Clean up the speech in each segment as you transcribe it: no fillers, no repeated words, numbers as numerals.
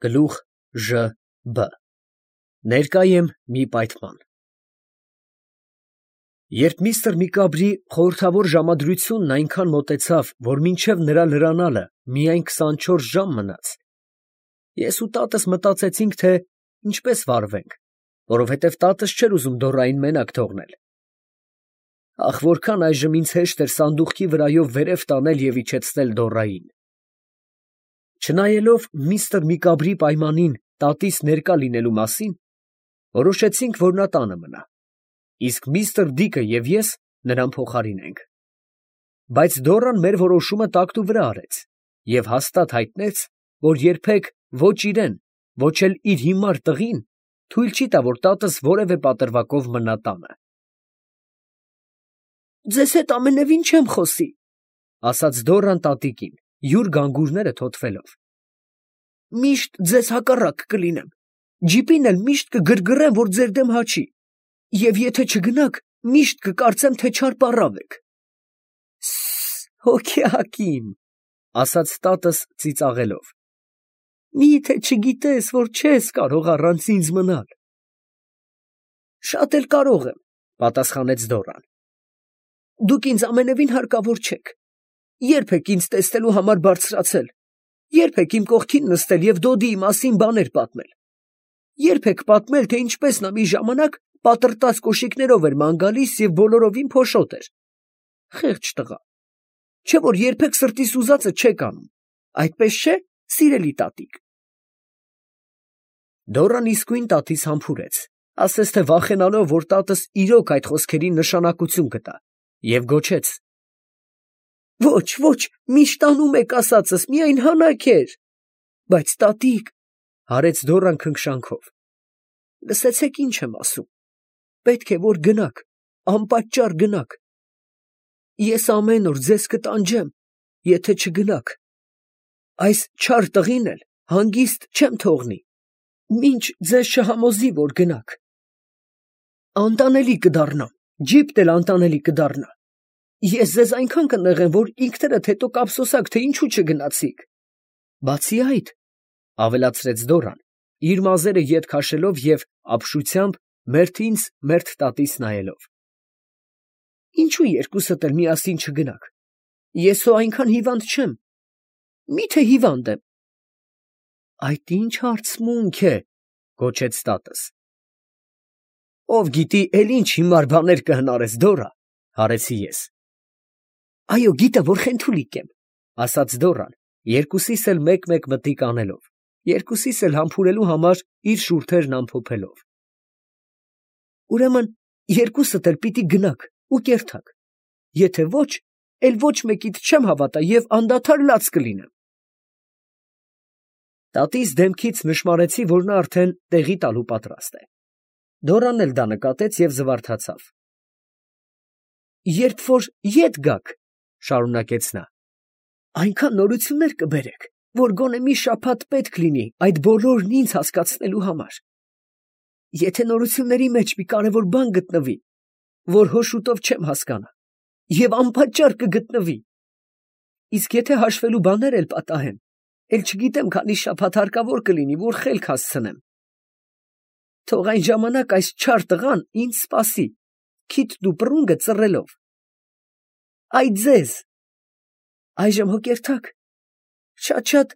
Գլուխ Ժ Բ Ներկա եմ մի պայթման։ Երբ միստր Միկաբրի խորհրդավոր ժամադրությունն այնքան մոտեցավ, որ մինչև նրա լրանալը միայն 24 ժամ մնաց, ես ու տատս մտածեցինք, թե ինչպես վարվենք, որովհետև տատս չէր ուզում Դորային մենակ թողնել։ Ախ, որքան այժմ ինձ հեշտ էր սանդուղքի վրայով վերև տանել և իջեցնել Դորային։ Չնայելով միստր Միկաբրի պայմանին տատիս ներկա լինելու մասին, որոշեցինք, որ նա տանը մնա, իսկ միստր Դիկը և ես նրան փոխարինենք։ Բայց Դորան մեր որոշումը տակտու վրա արեց և հաստատ հայտնեց, որ երբեք ոչ իրեն, ոչ էլ իր հիմար տղին թույլ չի տա, որ տատս որևէ պատրվակով մնա տանը։ «Ձեզ հետ ամենևին չեմ խոսի», ֊ ասաց Դորան տատիկին, յուր գանգուրները թոթվելով։ «Միշտ ձեզ հակառակ կլինեմ, ջիպին էլ միշտ կգռգռեմ, որ ձեր դեմ հաչի, և եթե չգնաք, միշտ կկարծեմ, թե չար պառավ եք»։ Հոգյակ իմ, ֊ ասաց տատս ծիծաղելով, մի՞թե չգիտես, որ չես կարող առանց ինձ մնալ։ Շատ էլ կարող եմ, ֊ պատասխանեց Դորան։ Դուք ինձ ամենևին հարկավոր չեք։ Ե՞րբ եք ինձ տեսնելու համար բարձրացել, ե՞րբ եք իմ կողքին նստել և Դոդիի մասին բաներ պատմել, ե՞րբ եք պատմել, թե ինչպես նա մի ժամանակ պատրտած կոշիկներով էր ման գալիս և բոլորովին փոշոտ էր։ Խեղճ տղա, չէ՞ որ երբեք սրտիս ուզածը չեք անում, այդպես չէ՞, սիրելի տատիկ։ Դորան իսկույն տատիս համբուրեց, ասես թե վախենալով, որ տատս իրոք այդ խոսքերին նշանակություն կտա, և գոչեց. Ոչ, ոչ, միշտ անում եք ասածս, միայն հանաքեր։ Բայց տատիկ, ֊ հարեց Դորան քնքշանքով, լսեցեք ինչ եմ ասում, պետք է որ գնաք, անպատճառ գնաք։ Ես ամեն օր ձեզ կտանջեմ, եթե չգնաք։ Այս չար տղին էլ հանգիստ չեմ թողնի, մինչ ձեզ չհամոզի, որ գնաք։ Անտանելի կդառնամ, ջիպն էլ անտանելի կդառնա։ Ես ձեզ այնքան կնեղեմ, որ ինքներդ հետո կափսոսաք, թե ինչու չգնացիք։ Բացի այդ, ֊ ավելացրեց Դորան, իր մազերը ետ քաշելով և ապշությամբ մերթ ինձ, մերթ տատիս նայելով, ինչու երկուսդ էլ միասին չգնաք։ Ես հո այնքան հիվանդ չեմ։ Մի՞թե հիվանդ եմ։ Այդ ի՞նչ հարցմունք է, ֊ գոչեց տատս։ Ով գիտի, էլ ինչ հիմար բաներ կհնարես, Դորա, ֊ հարեցի ես։ Այո, գիտեմ, որ խենթուլիկ եմ, ֊ ասաց Դորան, երկուսիս էլ մեկ-մեկ մտիկ անելով, երկուսիս էլ համբուրելու համար իր շուրթերն ամփոփելով։ Ուրեմն երկուսդ էլ պիտի գնաք ու կերթաք, եթե ոչ, էլ ոչ մեկիդ չեմ հավատա և անդադար լաց կլինեմ։ Տատիս դեմքից նշմարեցի, որ նա արդեն տեղի տալու պատրաստ է։ Դորանն էլ դա նկատեց և զվարթացավ։ Երբ որ ետ գաք, ֊ շարունակեց նա, այնքան նորություններ կբերեք, որ գոնե մի շաբաթ պետք լինի այդ բոլորն ինձ հասկացնելու համար։ Եթե նորությունների մեջ մի կարևոր բան գտնվի, որ հո շուտով չեմ հասկանա, և անպատճառ կգտնվի, իսկ եթե հաշվելու բաներ էլ պատահեն, էլ չգիտեմ քանի շաբաթ հարկավոր կլինի, որ խելք հասցնեմ, թող այն ժամանակ այս չար տղան ինձ սպասի, քիթն ու պռունգը ծռելով։ Այ ձեզ։ Այժմ հո կերթաք։ Շատ-շատ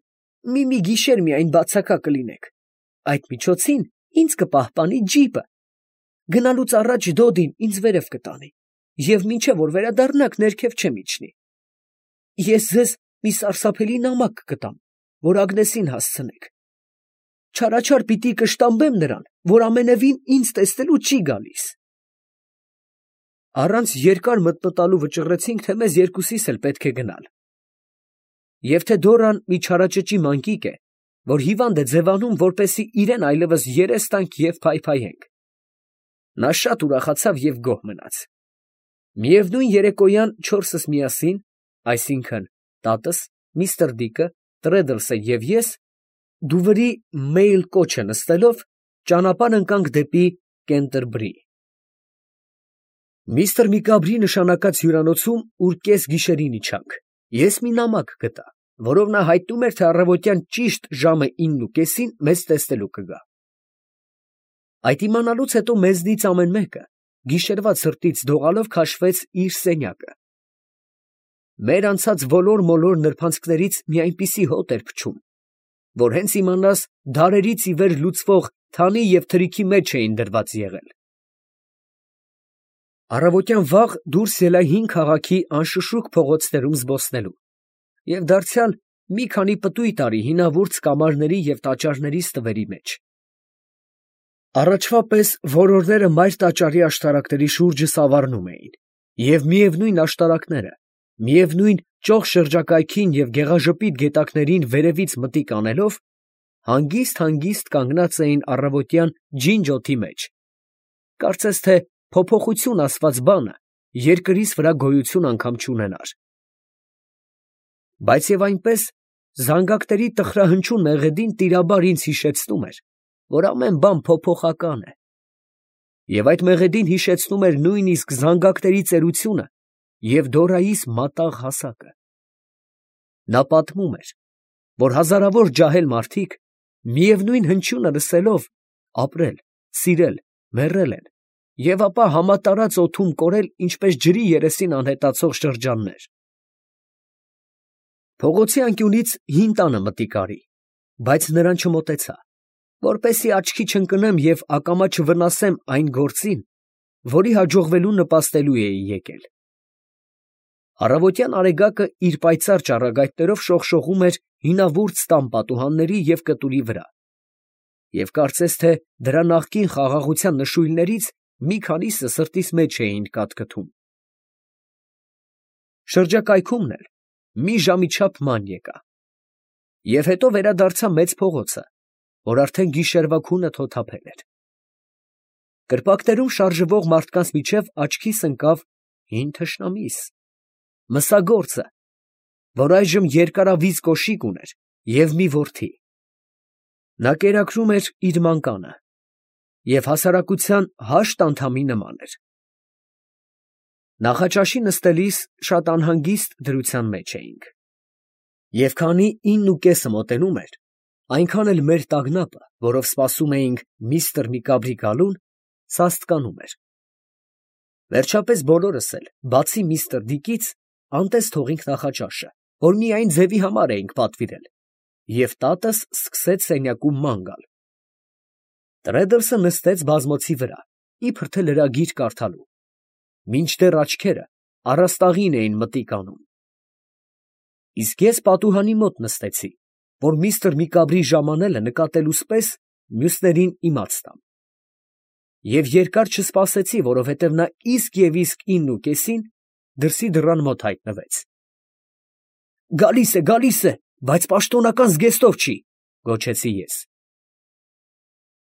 մի գիշեր միայն բացակա կլինեք, այդ միջոցին ինձ կպահպանի ջիպը, գնալուց առաջ Դոդին ինձ վերև կտանի, և մինչև որ վերադառնաք, ներքև չեմ իջնի։ Ես ձեզ մի սարսափելի նամակ կտամ, որ Ագնեսին հասցնեք։ Չարաչար պիտի կշտամբեմ նրան, որ ամենևին ինձ տեսնելու չի գալիս։ Առանց երկար մտմտալու վճռեցինք, թե մեզ երկուսիս էլ պետք է գնալ։ Եվ թե Դորան մի չարաճճի մանկիկ է, որ հիվանդ է ձևանում, որպեսզի իրեն այլևս երես տանք և փայփայենք։ Նա շատ ուրախացավ և գոհ մնաց։ Միևնույն երեկոյան չորսս միասին, այսինքն տատս, միստր Դիկը, Տրեդլսը և ես, դուվրի մեյլ կոչը նստելով, ճանապարհ ընկանք դեպի Կենտերբրի։ Միստր Միկաբրի նշանակած հյուրանոցում, ուր կես գիշերին իջանք, ես մի նամակ գտա, որով նա հայտնում էր, թե առավոտյան ճիշտ ժամը 9:30 մեզ տեսնելու կգա։ Այդ իմանալուց հետո մեզնից ամեն մեկը գիշերվա ցրտից դողալով քաշվեց իր սենյակը։ Մեր անցած ոլոր-մոլոր նրբանցքներից մի այնպիսի հոտ էր փչում, որ հենց իմանաս դարերից ի վեր լուծվող թանի և թրիքի մեջ էին դրված եղել։ Առավոտյան վաղ դուրս ելա հին քաղաքի անշշուկ փողոցներում զբոսնելու և դարձյալ մի քանի պտույտ արի հինավուրց կամարների և տաճարների ստվերի մեջ։ Առաջվա պես որորները մայր տաճարի աշտարակների շուրջը սավառնում էին, և միևնույն աշտարակները, միևնույն ճոխ շրջակայքին և գեղաժպիտ գետակներին վերևից մտիկ անելով, հանգիստ կանգնած էին առավոտյան ջինջ օդի մեջ, կարծես թե փոփոխություն ասված բանը երկրիս վրա գոյություն անգամ չունենար։ Բայց և այնպես զանգակների տխրահնչյուն մեղեդին տիրաբար ինձ հիշեցնում էր, որ ամեն բան փոփոխական է, և այդ մեղեդին հիշեցնում էր նույնիսկ զանգակների ծերությունը և Դորայիս մատաղ հասակը։ Նա պատմում էր, որ հազարավոր ջահել մարդիկ միևնույն հնչյունը լսելով ապրել, սիրել, մեռել են և ապա համատարած օդում կորել, ինչպես ջրի երեսին անհետացող շրջաններ։ Փողոցի անկյունից հին տանը մտիկ արի, բայց նրան չմոտեցա, որպեսզի աչքի չընկնեմ և ակամա չվնասեմ այն գործին, որի հաջողվելուն նպաստելու էի եկել։ Առավոտյան արեգակը իր պայծառ ճառագայթներով շողշողում էր հինավուրց տան պատուհանների և կտուրի վրա, և կարծես թե դրա նախկին խաղաղության նշույլներից մի քանիսը սրտիս մեջ էին կաթքթում։ Շրջակայքումն էլ մի ժամի չափ ման եկա, և հետո վերադարձա մեծ փողոցը, որ արդեն գիշերվա քունը թոթափել էր։ Կրպակներում շարժվող մարդկանց միջև աչքիս ընկավ հին թշնամիս, մսագործը, որ այժմ երկարավիզ կոշիկ ուներ և մի որդի։ Նա կերակրում էր իր մանկանը և հասարակության հաշտ անդամի նման էր։ Նախաճաշի նստելիս շատ անհանգիստ դրության մեջ էինք, և քանի 9:30 մոտենում էր, այնքան էլ մեր տագնապը, որով սպասում էինք միստր Միկաբրի գալուն, սաստկանում էր։ Վերջապես բոլորս էլ, բացի միստր Դիկից, անտես թողինք նախաճաշը, որ միայն ձևի համար էինք պատվիրել, և տատս սկսեց սենյակում ման գալ։ Տրեդլսը նստեց բազմոցի վրա, իբր թե լրագիր կարդալու, մինչդեռ աչքերը առաստաղին էին մտիկ անում։ Իսկ ես պատուհանի մոտ նստեցի, որ միստր Միկաբրի ժամանելը նկատելուս պես մյուսներին իմաց տամ։ Եվ երկար չսպասեցի, որովհետև նա իսկ և իսկ 9:30 դրսի դռան մոտ հայտնվեց։ Գալիս է, բայց պաշտոնական զգեստով չի, գոչեցի ես։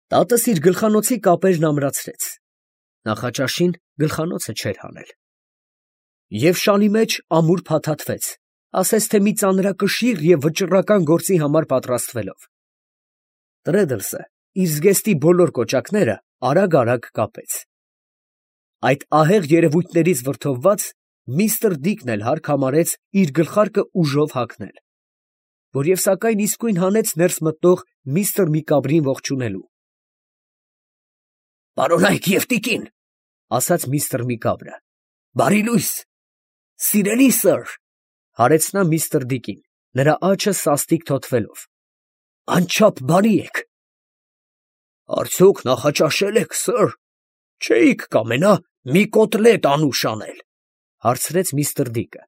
Տատս իր գլխանոցի կապերն ամրացրեց, նախաճաշին գլխանոցը չէր հանել, և շալի մեջ ամուր փաթաթվեց, ասես թե մի ծանրակշիռ և վճռական գործի համար պատրաստվելով։ Տրեդլսը իր զգեստի բոլոր կոճակները արագ կապեց։ Այդ ահեղ երևույթներից վրդովված միստր Դիկն էլ հարկ համարեց իր գլխարկը ուժով հագնել, որև սակայն իսկույն հանեց ներս մտնող միստր Միկաբրին ողջունելու։ «Պարոնայք և տիկին, ֊ ասաց միստր Միկաբրը, ֊ բարի լույս, սիրելի սըր, ֊ հարեց նա միստր Դիկին, նրա աչքը սաստիկ թոթվելով, ֊ անչափ բարի եք։ Արդյոք նախաճաշել եք, սըր, չէիք կամենա մի կոտլետ անուշ անել, ֊ հարցրեց միստր Դիկը։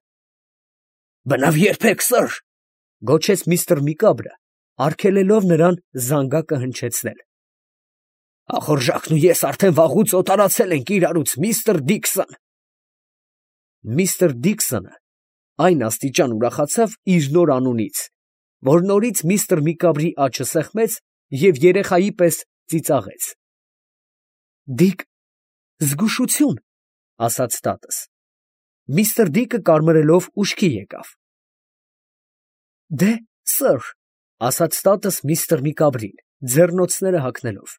Բնավ երբեք, սըր, ֊ գոչեց միստր Միկաբրը, արգելելով նրան զանգակը հնչեցնել։ Ախորժակն ու ես արդեն վաղուց օտարացել ենք իրարուց, միստր Դիկսոն։ Միստր Դիկսոնը այն աստիճան ուրախացավ իր նոր անունից, որ նորից միստր Միկաբրի աչը սեղմեց և երեխայի պես ծիծաղեց։ Դիկ, զգուշություն, ֊ ասաց տատս։ Միստր Դիկը կարմրելով ուշքի եկավ։ Դե, սըր, ֊ ասաց տատս միստր Միկաբրին, ձեռնոցները հագնելով,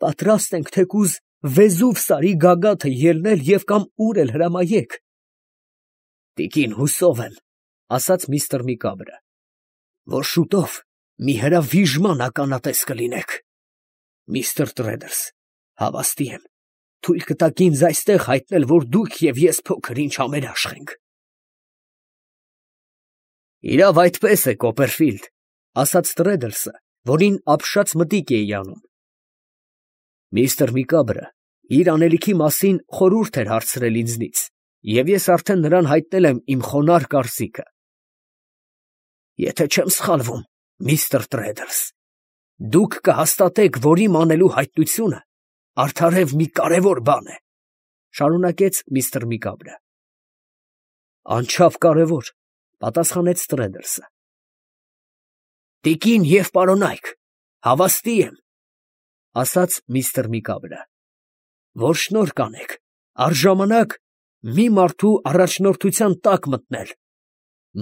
պատրաստ ենք թեկուզ Վեզուվ սարի գագաթը ելնել և կամ ուր էլ հրամայեք։ Տիկին, հուսով եմ, ֊ ասաց միստր Միկաբրը, որ շուտով մի հրավիժման ականատես կլինեք։ Միստր Տրեդլս, հավաստի եմ, թույլ կտաք ինձ այստեղ հայտնել, որ դուք և ես փոքր ինչ համերաշխ ենք։ Իրավ այդպես է, Կոպերֆիլդ, ասաց Տրեդլսը, որին ապշած մտիկ էի անում։ Միստր Միկաբրը իր անելիքի մասին խորհուրդ էր հարցրել ինձնից, և ես արդեն նրան հայտնել եմ իմ խոնարհ կարծիքը։ Եթե չեմ սխալվում, միստր Տրեդլս, դուք կհաստատեք, որ իմ անելու հայտնությունը արդարև մի կարևոր բան է, շարունակեց միստր Միկաբրը։ Անչափ կարևոր, պատասխանեց Տրեդլսը։ Տիկին և պարոնայք, հավաստի եմ, ասաց միստր Միկաբրը, որ շնորհ կանեք առժամանակ մի մարդու առաջնորդության տակ մտնել,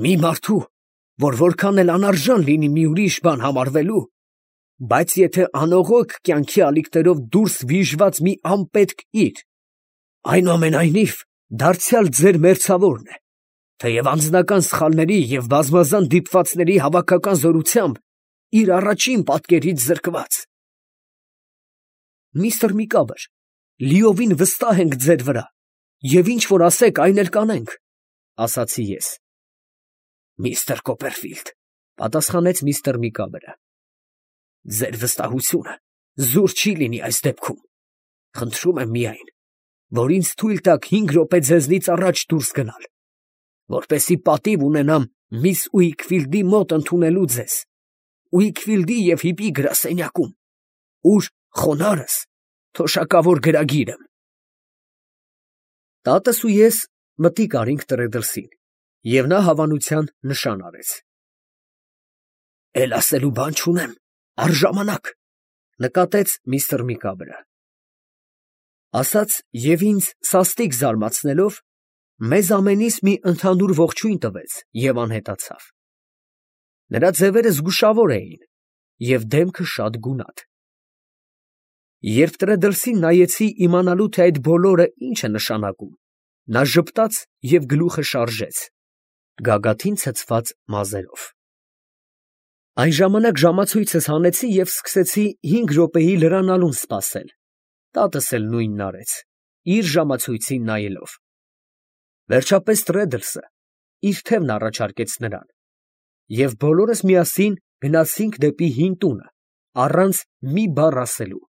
մի մարդու, որ որքան էլ անարժան լինի մի ուրիշ բան համարվելու, բայց եթե անողոք կյանքի ալիքներով դուրս վիժված մի անպետք իր, այնուամենայնիվ դարձյալ ձեր մերձավորն է, թեև անձնական սխալների և բազմազան դիպվածների հավաքական զորությամբ իր առաջին պատկերից զրկված։ Միստր Միկաբր, լիովին վստահ ենք ձեր վրա, և ինչ որ ասեք, այն էլ կանենք, ասացի ես։ Միստր Կոպերֆիլդ, պատասխանեց միստր Միկաբրը, ձեր վստահությունը զուր չի լինի այս դեպքում։ Խնդրում եմ միայն, որ ինձ թույլ տաք 5 րոպե ձեզնից առաջ դուրս գնալ, որպեսզի պատիվ ունենամ միս Ուիքֆիլդի մոտ ընդունելու ձեզ, Ուիքֆիլդի և հիպի գրասենյակում, ուր խոնարհս թոշակավոր գրագիր եմ։ Տատս ու ես մտիկ արինք Տրեդլսին, և նա հավանության նշան արեց։ Էլ ասելու բան չունեմ, առժամանակ, նկատեց միստր Միկաբրը։ Ասաց և ինձ սաստիկ զարմացնելով, մեզ ամենիս մի ընդհանուր ողջույն տվեց և անհետացավ։ Նրա ձևերը զգուշավոր էին և դեմքը շատ գունատ։ Երբ Տրեդլսին նայեցի իմանալու, թե այդ բոլորը ինչ է նշանակում, նա ժպտաց և գլուխը շարժեց, գագաթին ցցված մազերով։ Այն ժամանակ ժամացույցս հանեցի և սկսեցի 5 րոպեի լրանալուն սպասել, տատս էլ նույնն արեց, իր ժամացույցին նայելով։ Վերջապես Տրեդլսը իր թևն առաջարկեց նրան, և բոլորս միասին գնացինք դեպի հին տունը, առանց մի բառ ասելու։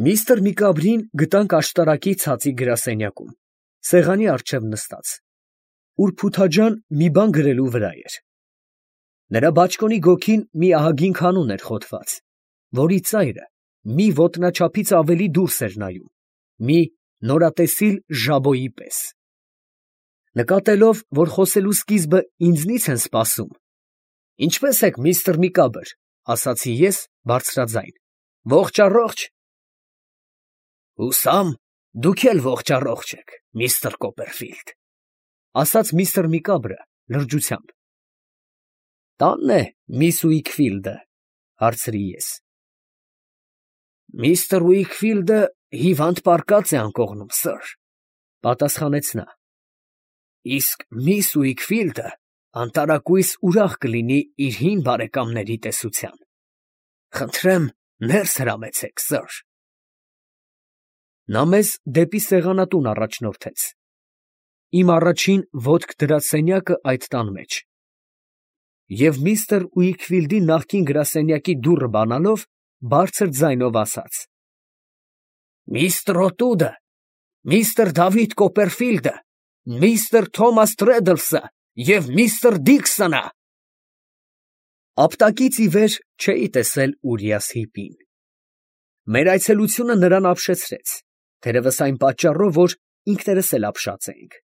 Միստր Միկաբրին գտանք աշտարակի ցածի գրասենյակում, սեղանի առջև նստած, ուր փութաջան մի բան գրելու վրա էր։ Նրա բաճկոնի գոգին մի ահագին քանուն էր խոթված, որի ծայրը մի ոտնաչափից ավելի դուրս էր նայում, մի նորատեսիլ ժաբոյի պես։ Նկատելով, որ խոսելու սկիզբը ինձնից են սպասում, ինչպե՞ս եք, միստր Միկաբր, ասացի ես բարձրաձայն, ողջ առողջ։ Հուսամ, դուք էլ ողջ առողջ եք, միստր Կոպերֆիլդ, ասաց միստր Միկաբրը լրջությամբ։ Տանն է միս Ուիքֆիլդը, հարցրի ես։ Միստր Ուիքֆիլդը հիվանդ պառկած է անկողնում, սըր, պատասխանեց նա։ Իսկ միս Ուիքֆիլդը անտարակույս ուրախ կլինի իր հին բարեկամների տեսության։ Խնդրեմ, ներս հրամեցեք, սըր։ Նա մեզ դեպի սեղանատուն առաջնորդեց։ Իմ առաջին ոտք դրած սենյակը այդ տան մեջ։ Եվ միստր Ուիքֆիլդի նախկին գրասենյակի դուռը բանալով, բարձր ձայնով ասաց. Միստր Օտուդը, միստր Դավիթ Կոպերֆիլդը, միստր Թոմաս Տրեդլսը և միստր Դիքսոնը։ Ապտակից ի վեր չէի տեսել Ուրիաս Հիպին։ Մեր այցելությունը նրան ապշեցրեց, թերևս այն պատճառով, որ ինքներս էլ ապշած էինք։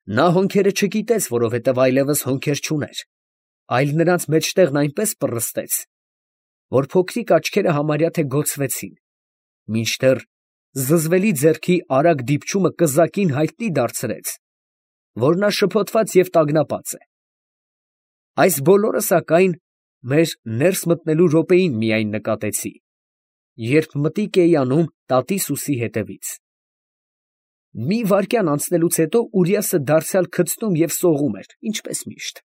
Նա հոնքերը չկիտեց, որովհետև այլևս հոնքեր չուներ, այլ նրանց մեջտեղն այնպես պռստեց, որ փոքրիկ աչքերը համարյա թե գոցվեցին, մինչդեռ զզվելի ձեռքի արագ դիպչումը կզակին հայտնի դարձրեց, որ նա շփոթված և տագնապած է։ Այս բոլորը, սակայն, մեր ներս մտնելու րոպեին միայն նկատեցի, երբ մտիկ էի անում տատիս ուսի հետևից։ Մի վայրկյան անցնելուց հետո Ուրիասը դարձյալ քծնում և սողում էր, ինչպես միշտ։